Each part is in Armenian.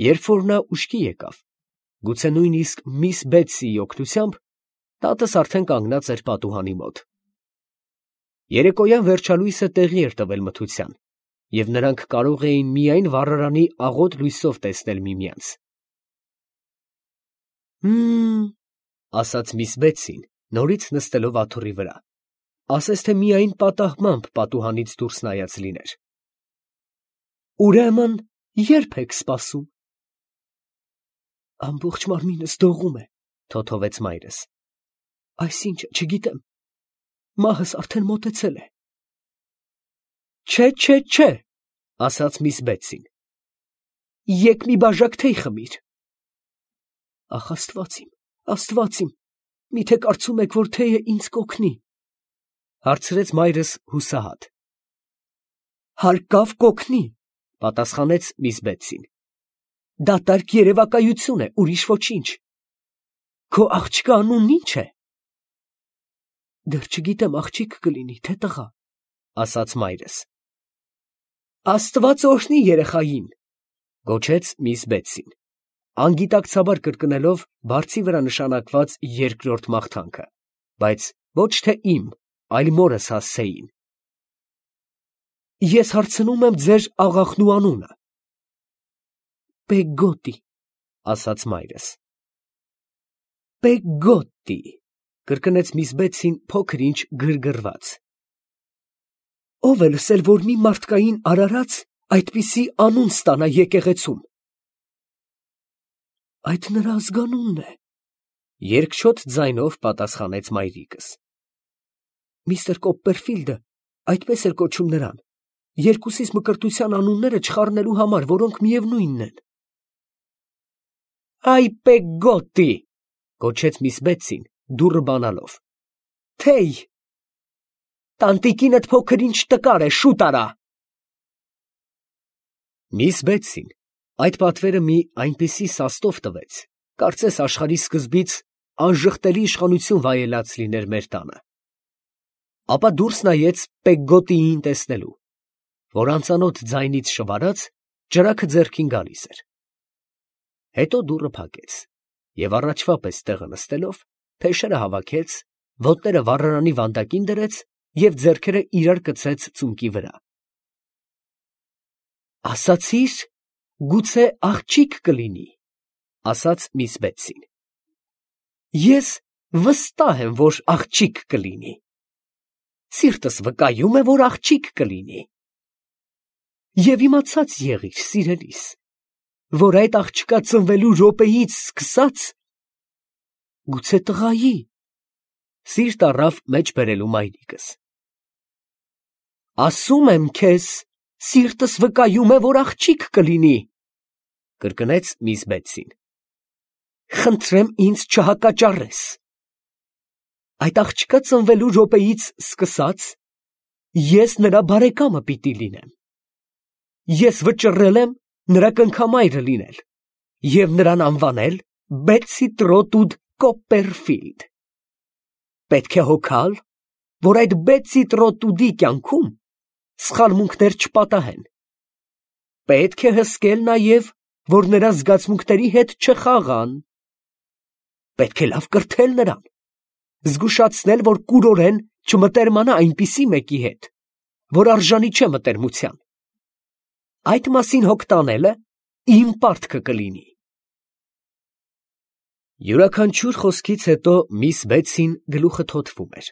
Երբ որ նա ուշքի եկավ, գուցե նույնիսկ միս Բեթսիի օգնությամբ, տատս արդեն կանգնած էր պատուհանի մոտ։ Երեկոյան վերջալույսը տեղի էր տվել մթության, և նրանք կարող էին միայն վառարանի աղոտ լույսով տեսնել միմյանց։ Ասաց միս Բեթսին, նորից նստելով աթոռի վրա, ասես թե միայն պատահմամբ պատուհանից դուրս նայած լիներ։ Ուրեմն ե՞րբ եք սպասում։ Ամբողջ մարմինս դողում է, թոթովեց մայրս։ Այսինչը, չգիտեմ, մահս արդեն մոտեցել է։ Չէ, ասաց միս Բեթսին։ Եկ մի բաժակ թեյ խմիր։ Ախ, Աստված իմ, միթե կարծում եք, որ թեյը ինձ կօգնի, հարցրեց մայրս հուսահատ։ Հարկավ կօգնի, պատասխանեց միս Բեթսին։ Դատարկ երևակայություն է, ուրիշ ոչինչ։ Քո աղջկա անունն ի՞նչ է։ Դեռ չգիտեմ աղջիկ կլինի, թե տղա, ասաց մայրս։ Աստված օրհնի երեխային, գոչեց միս Բեթսին, անգիտակցաբար կրկնելով բարձի վրա նշանակված երկրորդ մաղթանքը, բայց ոչ թե իմ, այլ մորս հասցեին։ Ես հարցնում եմ ձեր աղախնու անունը։ Պեգոտի, ասաց մայրս։ Պեգոտի, կրկնեց միս Բեթսին փոքր ինչ գրգռված։ Ո՞վ է լսել, որ մի մարդկային արարած այդպիսի անուն ստանա եկեղեցում։ Այդ նրա ազգանունն է, երկչոտ ձայնով պատասխանեց մայրիկս։ Միստր Կոպպերֆիլդը այդպես էր կոչում նրան, երկուսիս մկրտության անունները չխառնելու համար, որոնք միևնույնն են։ Այ Պեգոտի, գոչեց միս Բեթսին, դուռը բանալով։ Թեյ։ Տանտիկինդ փոքր ինչ տկար է, շուտ արա։ Միս Բեթսին այդ պատվերը մի այնպիսի սաստով տվեց, կարծես աշխարհի սկզբից անժխտելի իշխանություն վայելած լիներ մեր տանը։ Ապա դուրս նայեց Պեգոտիին տեսնելու, որ անծանոթ ձայնից շվարած ճրագը ձեռքին գալիս էր։ Հետո դուռը փակեց և առաջվա պես տեղը նստելով, փեշերը հավաքեց, ոտները վառարանի վանդակին դրեց և ձեռքերը իրար կցեց ծունկի վրա։ Ասացի՞ր, գուցե աղջիկ կլինի, ասաց միս Բեթսին։ Ես վստահ եմ, որ աղջիկ կլինի։ Սիրտս վկայում է, որ աղջիկ կլինի։ Եվ իմացած եղիր, սիրելիս, որ այդ աղջկա ծնվելու րոպեից սկսած, գուցե տղայի, սիրտ առավ մեջ բերելու մայրիկս։ Ասում եմ քեզ, սիրտս վկայում է, որ աղջիկ կլինի, կրկնեց միս Բեթսին։ Խնդրեմ ինձ չհակաճառես։ Այդ աղջկա ծնվելու րոպեից սկսած, ես նրա բարեկամը պիտի լինեմ։ Ես վճռել եմ նրա կնքամայրը լինել և նրան անվանել Բեթսի Տրոտուդ Կոպպերֆիլդ։ Պետք է հոգալ, որ այդ Բեթսի Տրոտուդի կյանքում սխալմունքներ չպատահեն։ Պետք է հսկել նաև, որ նրա զգացմունքների հետ չխաղան։ Պետք է լավ կրթել նրան, զգուշացնել, որ կուրորեն չմտերմանա այնպիսի մեկի հետ, որ արժանի չէ մտերմության։ Այդ մասին հոգ տանելը իմ պարտքը կլինի։ Յուրաքանչյուր խոսքից հետո միս Բեթսին գլուխը թոթվում էր,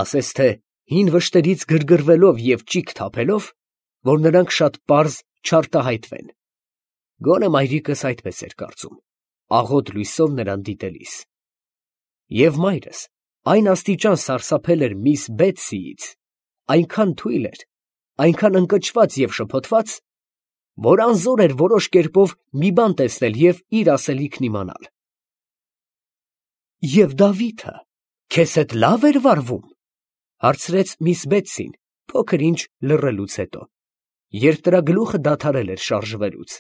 ասես թե հին վշտերից գրգռվելով և ճիգ թափելով, որ նրանք շատ պարզ չարտահայտվեն։ Գոնե մայրիկս այդպես էր կարծում, աղոտ լույսով նրան դիտելիս։ Եվ մայրս այն աստիճան սարսափել էր միս Բեթսիից, այնքան թույլ էր, այնքան ընկճված և շփոթված, որ անզոր էր որոշ կերպով մի բան տեսնել և իր ասելիքն իմանալ։ Եվ Դավիթը քեզ հետ լավ էր վարվում, հարցրեց միս Բեթսին փոքր ինչ լռելուց հետո, երբ նրա գլուխը դադարել էր շարժվելուց։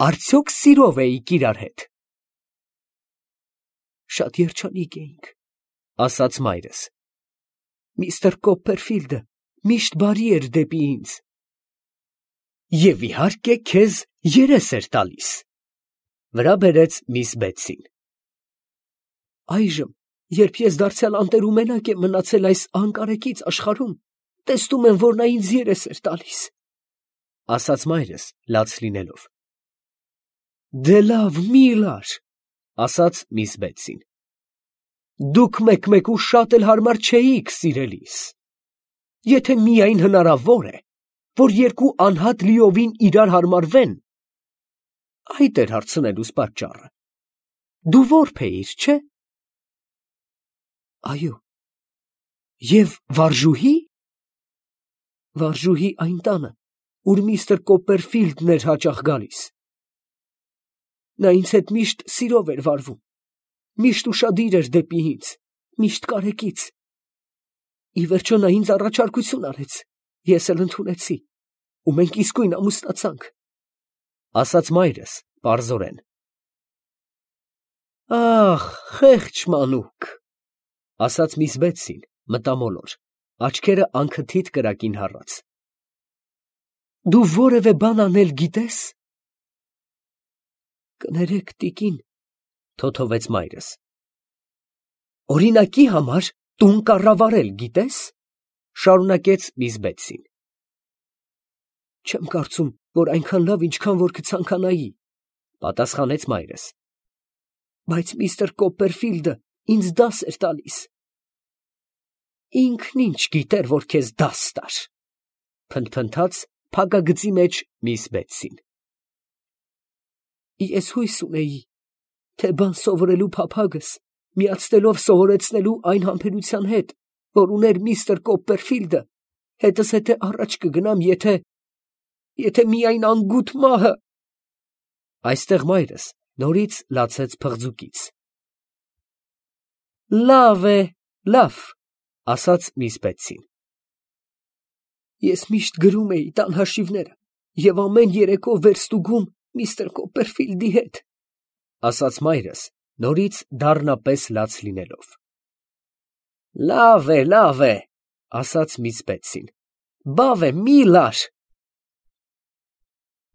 Արդյոք սիրով էիք իրար հետ։ Շատ երջանիկ էինք, ասաց մայրս։ Միստր Կոպպերֆիլդը միշտ բարի էր դեպի ինձ։ Եվ իհարկե քեզ երես էր տալիս։ Վրա բերեց միս Բեթսին։ Այժմ, երբ ես դարձյալ անտերումենակ եմ մնացել այս անկարեկից աշխարհում, տեսնում եմ, որ նա ինձ երես էր տալիս, ասաց մայրս լաց լինելով։ Դե լավ, մի լար, ասաց միս Բեթսին։ Դուք մեկ-մեկ ու շատ էլ հարմար չէիք, սիրելիս։ Եթե միայն հնարավոր է, որ երկու անհատ լիովին իրար հարմարվեն, այդ էր հարցնելուս պատճառը։ Դու որբ էիր, չէ՞։ Այո։ Եվ վարժուհի։ Վարժուհի այն տանը, ուր միստր Կոպպերֆիլդն էր հաճախ գալիս։ Նա ինձ հետ միշտ սիրով էր վարվում, միշտ ուշադիր էր դեպի ինձ, միշտ կարեկից։ Ի վերջո նա ինձ առաջարկություն արեց, ես էլ ընդունեցի, ու մենք իսկույն ամուսնացանք, ասաց մայրս պարզորեն։ Ախ, խեղճ մանուկ, ասաց միս Բեթսին մտամոլոր, աչքերը անքթիթ կրակին հառած։ Դու որևէ բան անել գիտես։ Կներեք, տիկին, թոթովեց մայրս։ Օրինակի համար տուն կառավարել գիտես, շարունակեց միս Բեթսին։ Չեմ կարծում, որ այնքան լավ, ինչքան որ կցանկանայի, պատասխանեց մայրս։ Բայց միստր Կոպպերֆիլդը ինձ դաս էր տալիս։ Ինքն ինչ գիտեր, որ քեզ դաս տար, փնթփնթաց փակագծի մեջ միս Բեթսին։ Ես հույս ունեի, թե բան սովորելու փափագս միացնելով սովորեցնելու այն համբերության հետ, որ ուներ միստր Կոպպերֆիլդը, հետզհետե առաջ կգնամ, եթե միայն անգութ մահը… Այստեղ մայրս նորից լացեց փղձուկից։ Լավ է, լավ, ասաց միս Բեթսին։ Ես միշտ գրում էի տան հաշիվները և ամեն երեկո վերստուգում միստր Կոպպերֆիլդի հետ, ասաց մայրս, նորից դառնապես լաց լինելով։ Լավ է, ասաց միս Բեթսին։ Բավ է, մի լար։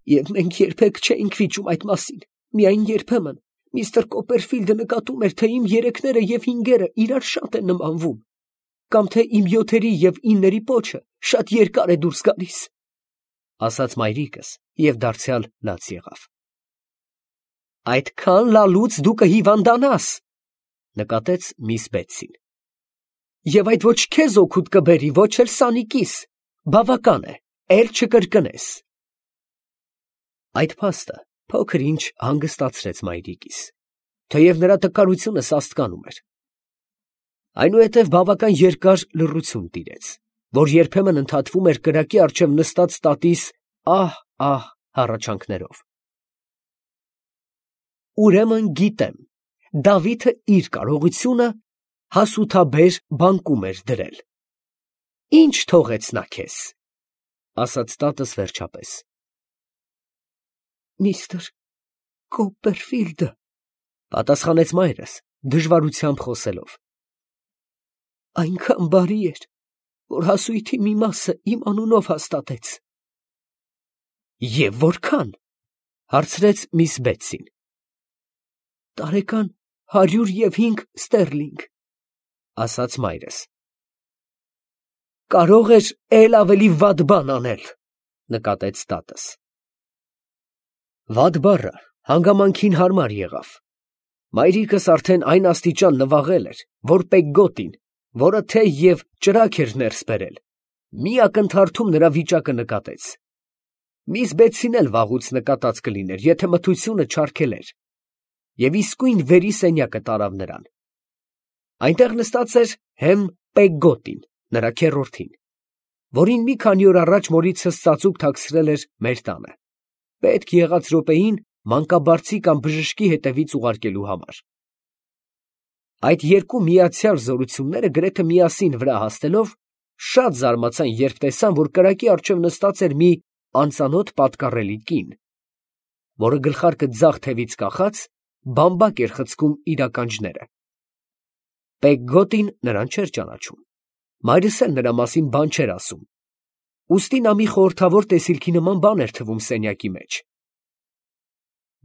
Եվ մենք երբեք չէինք վիճում այդ մասին, միայն երբեմն միստր Կոպպերֆիլդը նկատում էր, թե իմ երեքները և հինգերը իրար շատ են նմանվում, կամ թե իմ 7-երի և 9-երի պոչը շատ երկար է դուրս գալիս, ասաց մայրիկս և դարձյալ լաց եղավ։ Այդքան լալուց դու կհիվանդանաս, նկատեց միս Բեթսին։ Եվ այդ ոչ քեզ օգուտ կբերի, ոչ էլ Սանիկիս, բավական է, էլ չկրկնես։ Այդ փաստը փոքր ինչ հանգստացրեց մայրիկիս, թեև նրա տկարությունը սաստկանում էր։ Այնուհետև բավական երկար լռություն տիրեց, որ երբեմն ընդհատվում էր կրակի առջև նստած տատիս ահ հառաչանքներով։ Ուրեմն գիտեմ, Դավիթը իր կարողությունը հասութաբեր բանկում էր դրել։ Ինչ թողեց նա քեզ, ասաց տատս վերջապես։ Միստր Կոպպերֆիլդը, պատասխանեց մայրս, դժվարությամբ խոսելով։ Այնքան բարի էր, որ հասույթի մի մասը իմ անունով հաստատեց։ Եվ որքան, հարցրեց միս Բեթսին։ Տարեկան 105 ստերլինգ, ասաց մայրս։ Կարող էր էլ ավելի վատ բան անել, նկատեց տատս։ Վատ բառը հանգամանքին հարմար եղավ։ Մայրիկս արդեն այն աստիճան նվաղել էր, որ Պեգգոտին, որը թեյ և ճրագ էր ներս բերել, մի ակնթարթում նրա վիճակը նկատեց։ Միս Բեթսին էլ վաղուց նկատած կլիներ, եթե մթությունը չարգելեր, և իսկույն վերի սենյակը տարավ նրան։ Այնտեղ նստած էր հեմ Պեգգոտին, նրա քեռորդին, որին մի քանի օր առաջ մորիցս ծածուկ թաքցրել էր մեր տանը, պետք եղած րոպեին մանկաբարձի կամ բժշկի հետևից ուղարկելու համար։ Այդ երկու միացյալ զորությունները գրեթե միասին վրա հասնելով, շատ զարմացան, երբ տեսան, որ կրակի առջև նստած էր մի անծանոթ պատկառելի կին, որը գլխարկը ձախ թևից կախած, բամբակ էր խցկում իր ականջները։ Պեգգոտին նրան չէր ճանաչում, մայրս էլ նրա մասին բան չէր ասում, ուստի նա մի խորհրդավոր տեսիլքի նման բան էր թվում սենյակի մեջ։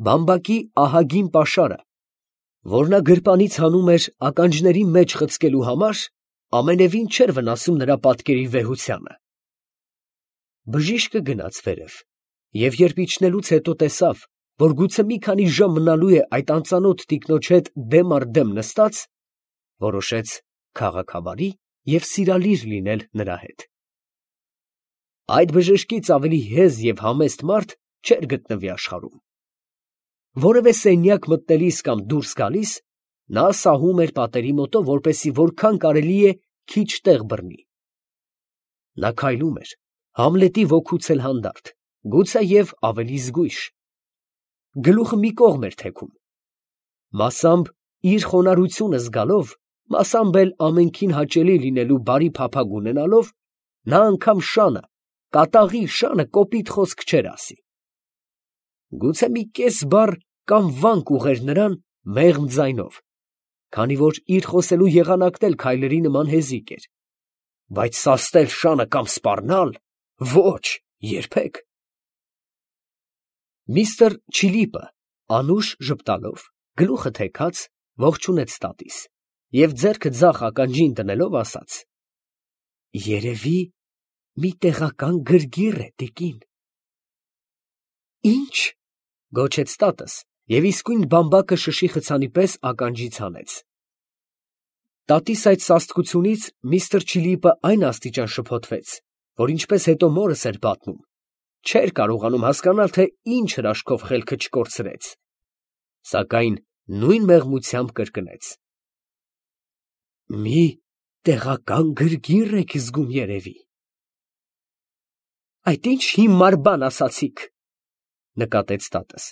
բամբակի ահագին պաշարը, որ նա գրպանից հանում էր ականջների մեջ խցկելու համար, ամենևին չէր վնասում նրա պատկերի վեհությանը։ Բժիշկը գնաց վերև, և երբ իջնելուց հետո տեսավ, որ գուցե մի քանի ժամ մնալու է այդ անծանոթ տիկնոջ հետ դեմ առ դեմ նստած, որոշեց քաղաքավարի և սիրալիր լինել նրա հետ։ Այդ բժշկից ավելի հեզ և համեստ մարդ չէր գտնվի աշխարհում։ Որևէ սենյակ մտնելիս կամ դուրս գալիս, նա սահում էր պատերի մոտով, որպեսզի որքան կարելի է քիչ տեղ բռնի։ Նա քայլում էր, Համլետի ոգուց էլ հանդարտ, գուցեև ավելի զգույշ։ Գլուխը մի կողմ էր թեքում։ Մասամբ իր խոնարհությունը զգալով, մասամբ էլ ամենքին հաճելի լինելու բարի փափագ ունենալով, նա անգամ շանը, կատաղի շանը կոպիտ խոսք չէր ասի։ Գուցե մի կես բառ կամ վանք ուղղեր նրան մեղմ ձայնով, քանի որ իր խոսելու եղանակն էլ քայլերի նման հեզիկ էր, բայց սաստել շանը կամ սպառնալ, ոչ, երբեք։ Միստր Չիլիպը անուշ ժպտալով, գլուխը թեքած, ողջունեց տատիս և ձեռքը ձախ ականջին դնելով ասաց. «Երևի մի տեղական գրգիռ է, տիկին»։ «Ի՞նչ» գոչեց տատս և իսկույն բամբակը շշի խցանի պես ականջից հանեց։ Տատիս այդ սաստկությունից միստր Չիլիպը այն աստիճան շփոթվեց, որ ինչպես հետո մորս էր պատմում, չէր կարողանում հասկանալ, թե ինչ հրաշքով խելքը չկորցրեց, սակայն նույն մեղմությամբ կրկնեց. «Մի տեղական գրգիռ եք զգում, երևի»։ «Այդ ի՞նչ հիմար բան ասացիք», նկատեց տատս,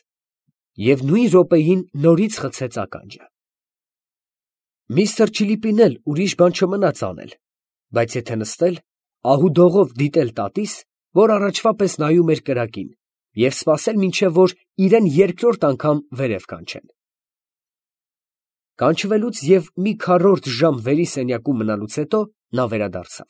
և նույն րոպեին նորից խցեց ականջը։ Միստր Չիլիպին էլ ուրիշ բան չմնաց անել, բայց եթե նստել, ահուդողով դիտել տատիս, որ առաջվա պես նայում էր կրակին, և սպասել, մինչև որ իրան երկրորդ անգամ վերև կանչեն։ Կանչվելուց և մի քառորդ ժամ վերի սենյակում մնալուց հետո նա վերադարձավ։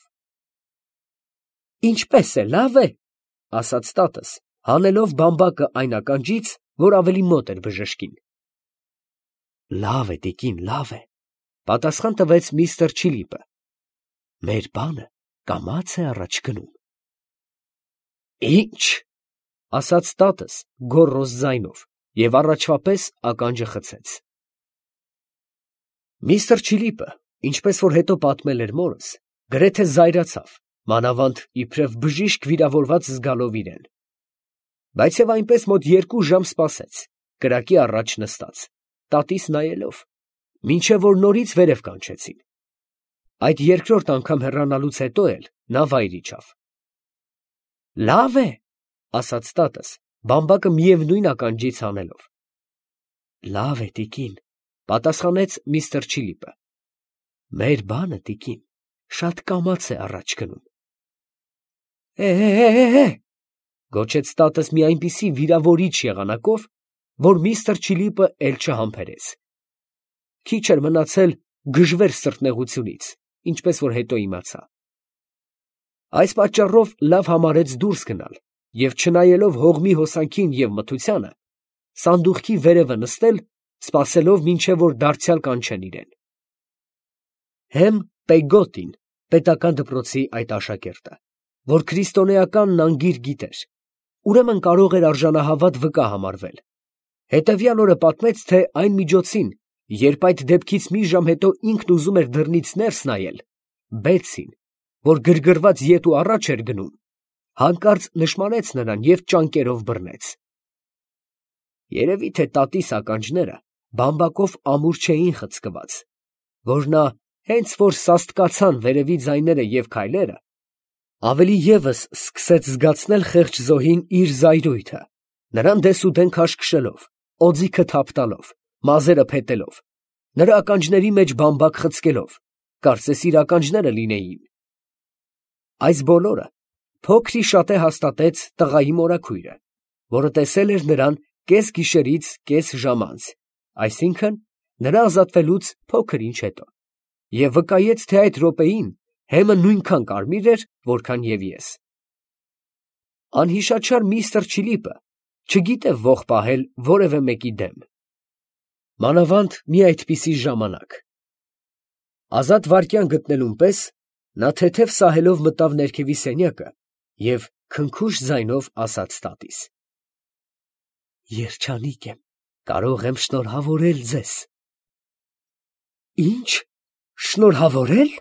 «Ինչպե՞ս է, լավ է», ֊ ասաց տատս, հանելով բամբակը այն ականջից, որ ավելի մոտ էր բժշկին։ «Լավ է, տիկին, լավ է», ֊ պատասխան տվեց միստր Չիլիպը։ «Մեր բանը կամաց է առաջ գնում»։ «Ի՞նչ», ֊ ասաց տատս գոռոզ ձայնով և առաջվա պես ականջը խցեց։ Միստր Չիլիպը, ինչպես որ հետո պատմել էր մորս, գրեթե զայրացավ, մանավանդ իբրև բժիշկ վիրավորված զգալով իրեն։ Բայց և այնպես մոտ 2 ժամ սպասեց, կրակի առաջ նստած, տատիս նայելով, մինչև որ նորից վերև կանչեցին։ Այդ երկրորդ անգամ հեռանալուց հետո էլ նա վայր իջավ։ «Լավ է», ֊ ասաց տատս, բամբակը միևնույն ականջից հանելով։ «Լավ է, տիկին», ֊ պատասխանեց միստր Չիլիպը։ «Մեր բանը, տիկին, շատ կամաց է առաջ գնում»։ «Է, ֊ գոչեց տատս մի այնպիսի վիրավորիչ եղանակով, որ միստր Չիլիպը էլ չհամբերեց։ Քիչ էր մնացել գժվեր սրտնեղությունից, ինչպես որ հետո իմացա։ Այս պատճառով լավ համարեց դուրս գնալ և չնայելով հողմի հոսանքին և մթությանը, սանդուղքի վերևը նստել, սպասելով, մինչև որ դարձյալ կանչեն իրեն։ Հեմ Պեգոտին, պետական դպրոցի այդ աշակերտը, որ քրիստոնեականն անգիր գիտեր, ուրեմն կարող էր արժանահավատ վկա համարվել, հետևյալ օրը պատմեց, թե այն միջոցին, երբ այդ դեպքից մի ժամ հետո ինքն ուզում էր դռնից ներս նայել, Բեցին, որ գրգռված ետ ու առաջ էր գնում, հանկարծ նշմարեց նրան և ճանկերով բռնեց։ Երևի թե տատիս ականջները բամբակով ամուր չէին խցկված, որ նա, հենց որ սաստկացան վերևի ձայները և քայլերը, ավելի ևս սկսեց զգացնել խեղճ զոհին իր զայրույթը, նրան դեսուդեն քաշքշելով, օձիքը թափ տալով, մազերը փետելով, նրա ականջների մեջ բամբակ խցկելով, կարծես իր ականջները լինեին։ Այս բոլորը փոքր-ի-շատե հաստատեց տղայի մորաքույրը, որը տեսել էր նրան կես գիշերից կես ժամ անց, այսինքն՝ նրա ազատվելուց փոքր ինչ հետո, և վկայեց, թե այդ րոպեին հեմը նույնքան կարմիր էր, որքան և ես։ Անհիշաչար միստր Չիլիպը չգիտե ոխ պահել որևէ մեկի դեմ։ Մանավանդ մի այդպիսի ժամանակ։ Ազատ վայրկյան գտնելուն պես նա թեթև սահելով մտավ ներքևի սենյակը և քնքուշ ձայնով ասաց տատիս. «Երջանիկ եմ, կարող եմ շնորհավորել ձեզ»։ «Ի՞նչ, շնորհավորել»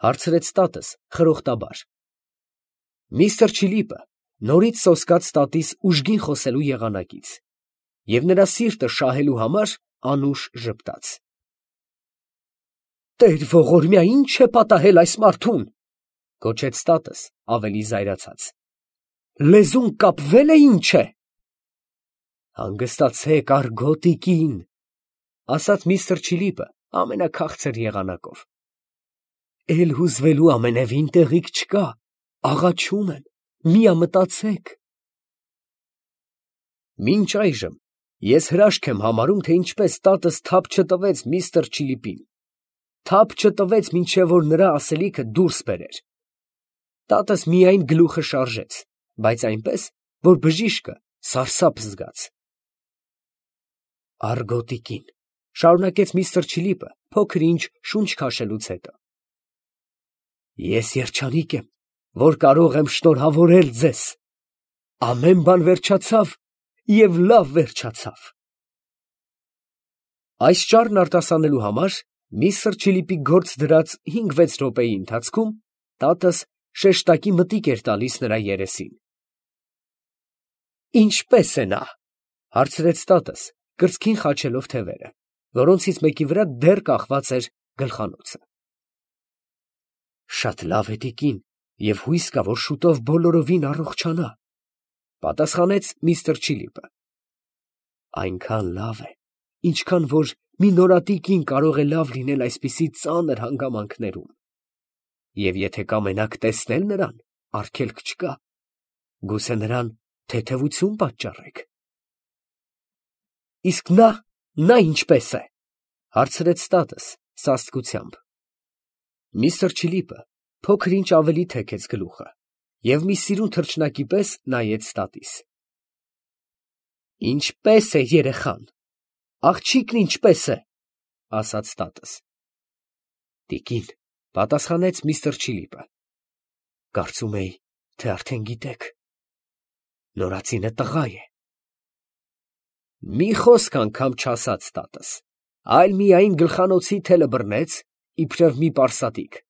հարցրեց տատս խրոխտաբար։ Միսթր Չիլիպը նորից սոսկաց տատիս ուժգին խոսելու եղանակից և նրա սիրտը շահելու համար անուշ ժպտաց։ «Տեր ողորմյա, ի՞նչ է պատահել այս մարդուն» գոչեց տատս ավելի զայրացած։ «Լեզուն կապվե՞լ է, ինչ է»։ «Հանգստացեք, արգո տիկին», ասաց միստր Չիլիպը ամենաքաղցր եղանակով։ «Էլ հուզվելու ամենևին տեղիք չկա, աղաչում եմ, միամտածեք»։ Մինչ այժմ ես հրաշք եմ համարում, թե ինչպես տատս թափ չտվեց միստր Չիլիպին, թափ չտվեց, մինչև որ նրա ասելիքը դուրս բերեր։ Տատս միայն գլուխը շարժեց, բայց այնպես, որ բժիշկը սարսափ զգաց։ «Արգո տիկին», շարունակեց միստր Չիլիպը փոքր ինչ շունչ քաշելուց հետո, «ես երջանիկ եմ, որ կարող եմ շնորհավորել ձեզ։ Ամեն բան վերջացավ և լավ վերջացավ»։ Այս ճառն արտասանելու համար միստր Չիլիպի գործ դրած 5-6 րոպեի ընթացքում տատս շեշտակի մտիկ էր տալիս նրա երեսին։ «Ինչպե՞ս է նա» հարցրեց տատս, կրծքին խաչելով թևերը, որոնցից մեկի վրա դեռ կախված էր գլխանոցը։ «Շատ լավ է, տիկին, և հույս կա, որ շուտով բոլորովին առողջանա», պատասխանեց միստր Չիլիպը։ «Այնքան լավ է, ինչքան որ մի նորատի կին կարող է լավ լինել այսպիսի ծանր հանգամանքներում։ Եվ եթե կամենաք տեսնել նրան, արգելք չկա, գուցե նրան թեթևություն պատճառեք»։ «Իսկ նա ինչպե՞ս է» հարցրեց տատս սաստկությամբ։ Միստր Չիլիպը փոքր ինչ ավելի թեքեց գլուխը և մի սիրուն թռչնակի պես նայեց տատիս։ «Ինչպե՞ս է երեխան, աղջիկն ինչպե՞ս է» ասաց տատս։ «Տիկին», պատասխանեց միստր Չիլիպը, «կարծում էի, թե արդեն գիտեք. նորածինը տղա է»։ Մի խոսք անգամ չասաց տատս, այլ միայն գլխանոցի թելը բռնեց, իբրև մի պարսատիկ,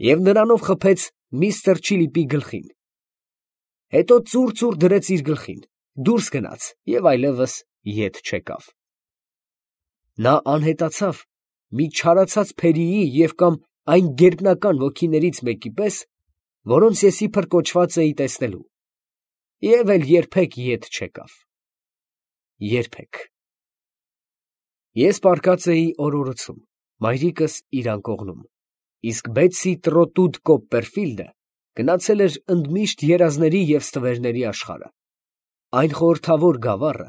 և նրանով խփեց միստր Չիլիպի գլխին։ Հետո ծուռ դրեց իր գլխին, դուրս գնաց և այլևս ետ չեկավ։ Նա անհետացավ մի չարացած փերիի և կամ այն գերբնական ոգիներից մեկի պես, որոնց ես իբր կոչված էի տեսնելու, և էլ երբեք ետ չեկավ։ Երբեք։ Ես պառկած էի օրորոցում, մայրիկս իր անկողնում, իսկ Բեթսի Տրոտուդ Կոպպերֆիլդը գնացել էր ընդմիշտ երազների և ստվերների աշխարհը, այն խորհրդավոր գավառը,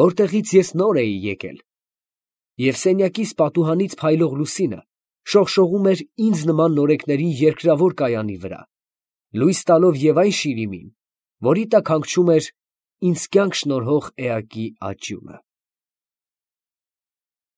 որտեղից ես նոր էի եկել, և սենյակիս պատուհանից փայլող լուսինը շողշողում էր ինձ նման նորեկների երկրավոր կայանի վրա, լույս տալով և այն շիրիմին, որի տակ հանգչում էր ինձ կյանք շնորհող էակի աճյունը։